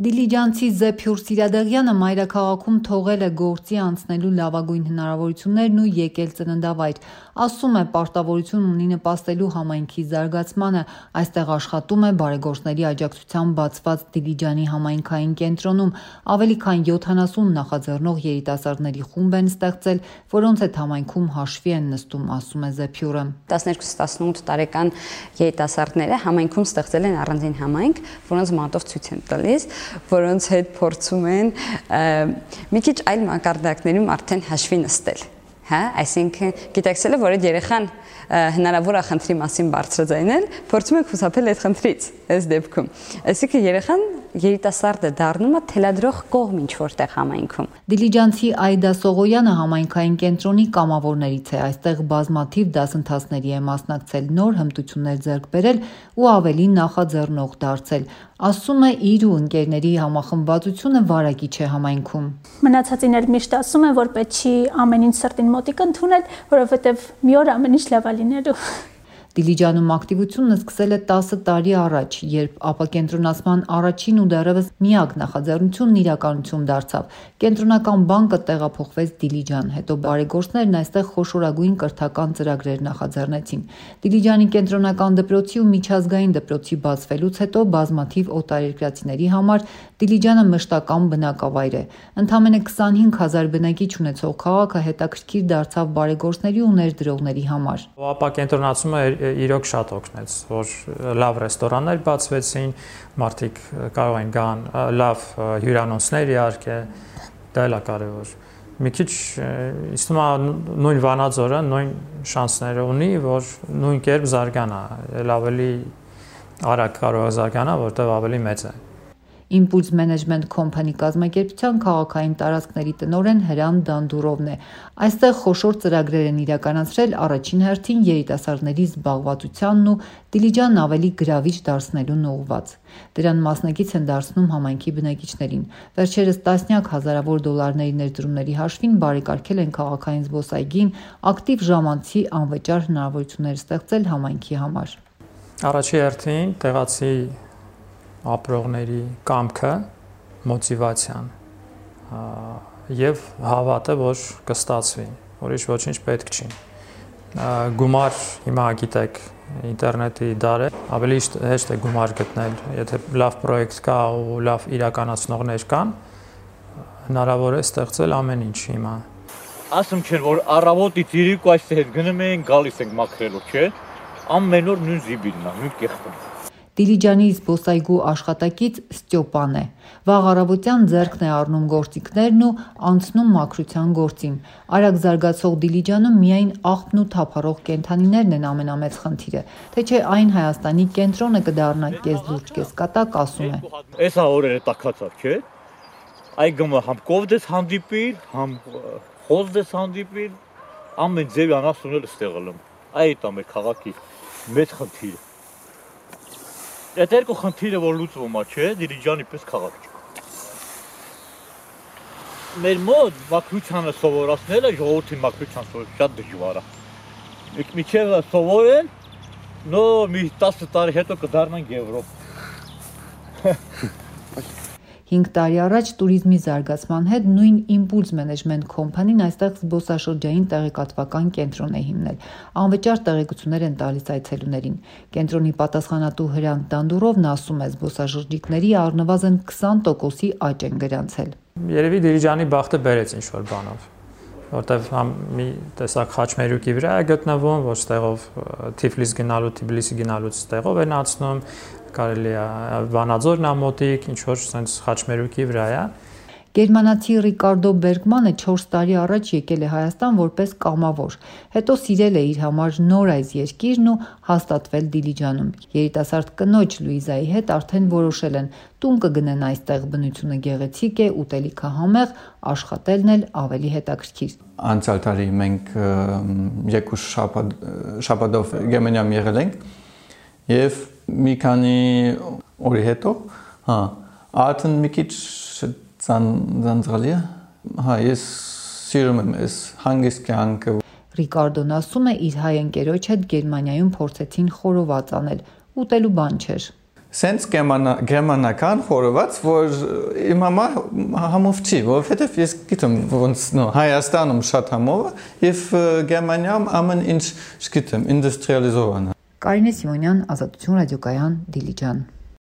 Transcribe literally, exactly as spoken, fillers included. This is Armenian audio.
Դիլիջանցի Զեփյուր Սիրադեղյանը մայրաքաղաքում թողել է գործի անցնելու լավագույն հնարավորություններն ու եկել ծննդավայր։ Ասում է, պարտավորություն ունի նպաստելու համայնքի զարգացմանը, այստեղ աշխատում է բարեգործների աջակցությամբ բացված Դիլիջանի համայնքային կենտրոնում։ Ավելի քան յոթանասուն նախաձեռնող երիտասարդների խումբ են ստեղծել, որոնց հետ համայնքում հաշվի են նստում, ասում է Զեփյուրը։ տասներկու տասնութ տարեկան երիտասարդները համայնքում ստեղծել են առանձին համայնք, որոնց մատով ցույց են տալիս, որոնց հետ փորձում են մի քիչ այլ մակարդակներում արդեն հաշվի նստել, հա, այսինքն գիտակցելը, որ այդ երեխան հնարավոր է խնդրի մասին բարձրաձայնել, փորձում եք խուսափել այդ խնդրից, այս դեպքում։ Այսինքն երեխան երիտասարդը դառնում է թելադրող կողմ ինչ-որտեղ համայնքում։ Դիլիջանցի Այդա Սողոյանը համայնքային կենտրոնի կամավորներից է, այստեղ բազմաթիվ դասընթացների է մասնակցել, նոր հմտություններ ձեռք բերել ու ավելի նախաձեռնող դարձել։ Ասում է, իր ու ընկերների համախմբվածությունը վարակիչ է համայնքում։ Մնացածին էլ միշտ ասում են, որ պետք չի ամեն ինչ սրտին մոտիկ ընդունել, որովհետև մի օր ամեն ինչ լավ է լինելու։ Դիլիջանում ակտիվությունը սկսել է տասը տարի առաջ, երբ ապակենտրոնացման առաջին ու դեռևս միակ նախաձեռնությունն իրականություն դարձավ։ Կենտրոնական բանկը տեղափոխվեց Դիլիջան, հետո բարեգործներն այստեղ խոշորագույն կրթական ծրագրեր նախաձեռնեցին։ Դիլիջանի կենտրոնական դպրոցի ու միջազգային դպրոցի բացվելուց հետո բազմաթիվ օտարերկրացիների համար Դիլիջանը մշտական բնակավայր է։ Ընդամենը քսանհինգ հազար բնակիչ ունեցող քաղաքը հետաքրքիր դարձավ բարեգործների ու ներդրողների համար։ Ապակենտրոնացումը իրոք շատ օգնեց, որ լավ ռեստորաններ բացվեցին, մարդիկ կարող են գան, լավ հյուրանոցներ իհարկե, դա էլ է կարևոր։ Մի քիչ ինձ թվում է նույն Վանաձորը նույն շանսները ունի, որ նույն կերպ զարգանա, էլ ավելի արագ կարող է զարգանա, որտեղ ավելի մեծ է։ Impulse Management Company կազմակերպության քաղաքային տարածքների տնօրեն Հրան Դանդուրովն է։ Այստեղ խոշոր ծրագրեր են իրականացրել առաջին հերթին երիտասարդների զբաղվածությանն ու Դիլիջանն ավելի գրավիչ դարձնելուն ուղղված։ Դրան մասնակից են դարձնում համայնքի բնակիչներին։ Վերջերս տասնյակ հազարավոր դոլարների ներդրումների հաշվին բարեկարգել են քաղաքային զբոսայգին, ակտիվ ժամանցի անվճար հնարավորություններ ստեղծել համայնքի համար։ Առաջի հերթին տեղացի ապրողների կամքը, մոտիվացիան եւ հավատը, որ կստացվի, ուրիշ ոչինչ պետք չի։ Գումար հիմա գիտեք ինտերնետի դար է, ավելի հեշտ է գումար գտնել, եթե լավ պրոյեկտ կա ու լավ իրականացնողներ կան, հնարավոր է ստեղծել ամեն ինչ հիմա։ Ասում չէ, որ առավոտից երեկո այստեղ գնում ենք, գալիս ենք մաքրելու, չէ՞։ Ամեն օր նույն զիբիլն է, նույն կեղտն է։ Դիլիջանի զբոսայգու աշխատակից Ստյոպան է։ Վաղ առավոտյան ձեռքն է առնում գործիքներն ու անցնում մաքրության գործին։ Արագ զարգացող Դիլիջանում միայն աղբն ու թափառող կենդանիներն են ամենամեծ խնդիրը, թե չէ այն Հայաստանի կենտրոնը կդառնա կես լուրջ, կես կատակ, ասում է։ Էսա օրերը տաքացավ, չէ՞։ Այ գումը համ կովդես հանդիպիր, համ խոզդես հանդիպիր, ամեն ձև անասունել ստեղալում։ Այդ է մեր քաղաքի մեծ խնդիրը։ Այդ երկու խնդիրը որ լուծվում է, չէ, Դիլիջանի պես քաղաք չկա։ Մեր մոտ մաքրությանը սովորացնելը ժողովրդին մաքրության սովորել շատ դժվար է։ Միջև սովորեն, նո մի տասը տարի հետո կդառնանք Եվրոպա։ Հինգ տարի առաջ տուրիզմի զարգացման հետ նույն Impulse Management Company-ն այստեղ զբոսաշրջային տեղեկատվական կենտրոն է հիմնել։ Անվճար տեղեկություններ են տալիս այցելուներին։ Կենտրոնի պատասխանատու Հրան Դանդուրովն ասում է, զբոսաշրջիկների առնվազն քսան տոկոսի աճ են գրանցել։ Երևի Դիլիջանի բախտը բերեց ինչ-որ բանով, որտեղ համ մի տեսակ խաչմերուկի վրա է գտնվում, որ ստեղով Թիֆլիս գնալու, Թբիլիսի գնալուց ստեղով են ացնում, կարելի է Վանաձորն ամոտիկ, ինչ որ sense խաչմերուկի վրա է։ Գերմանացի Ռիկարդո Բերգմանը չորս տարի առաջ եկել է Հայաստան որպես կամավոր, հետո սիրել է իր համար նոր այս երկիրն ու հաստատվել Դիլիջանում։ Երիտասարդ կնոջ Լուիզայի հետ արդեն որոշել են տուն կգնեն այստեղ, բնությունը գեղեցիկ է, ուտելիքը համեղ, աշխատելն էլ ավելի հետաքրքիր։ Անցյալ տարի մենք երկու շաբաթով Գերմանիայում եղել ենք եւ մի քանի օրի հետո, հա, արդեն մի քիչ Ձանձրալի է, հա, ես սիրում եմ ես հանգիստ կյանքը։ Ռիկարդոն ասում է, իր հայ ընկերոջ հետ Գերմանիայում փորձեցին խորոված անել, ուտելու բան չէր։ սենց գերմանական խորոված, որ իմ համար համով չի, որովհետև ես գիտեմ, ոնց նո Հայաստանում շատ համով է, եւ Գերմանիայում ամեն ինչ, չգիտեմ, ինդուստրիալիզովան է։ Կարինե Սիմոնյան, Ազատություն ռադիոկայան, Դիլիջան։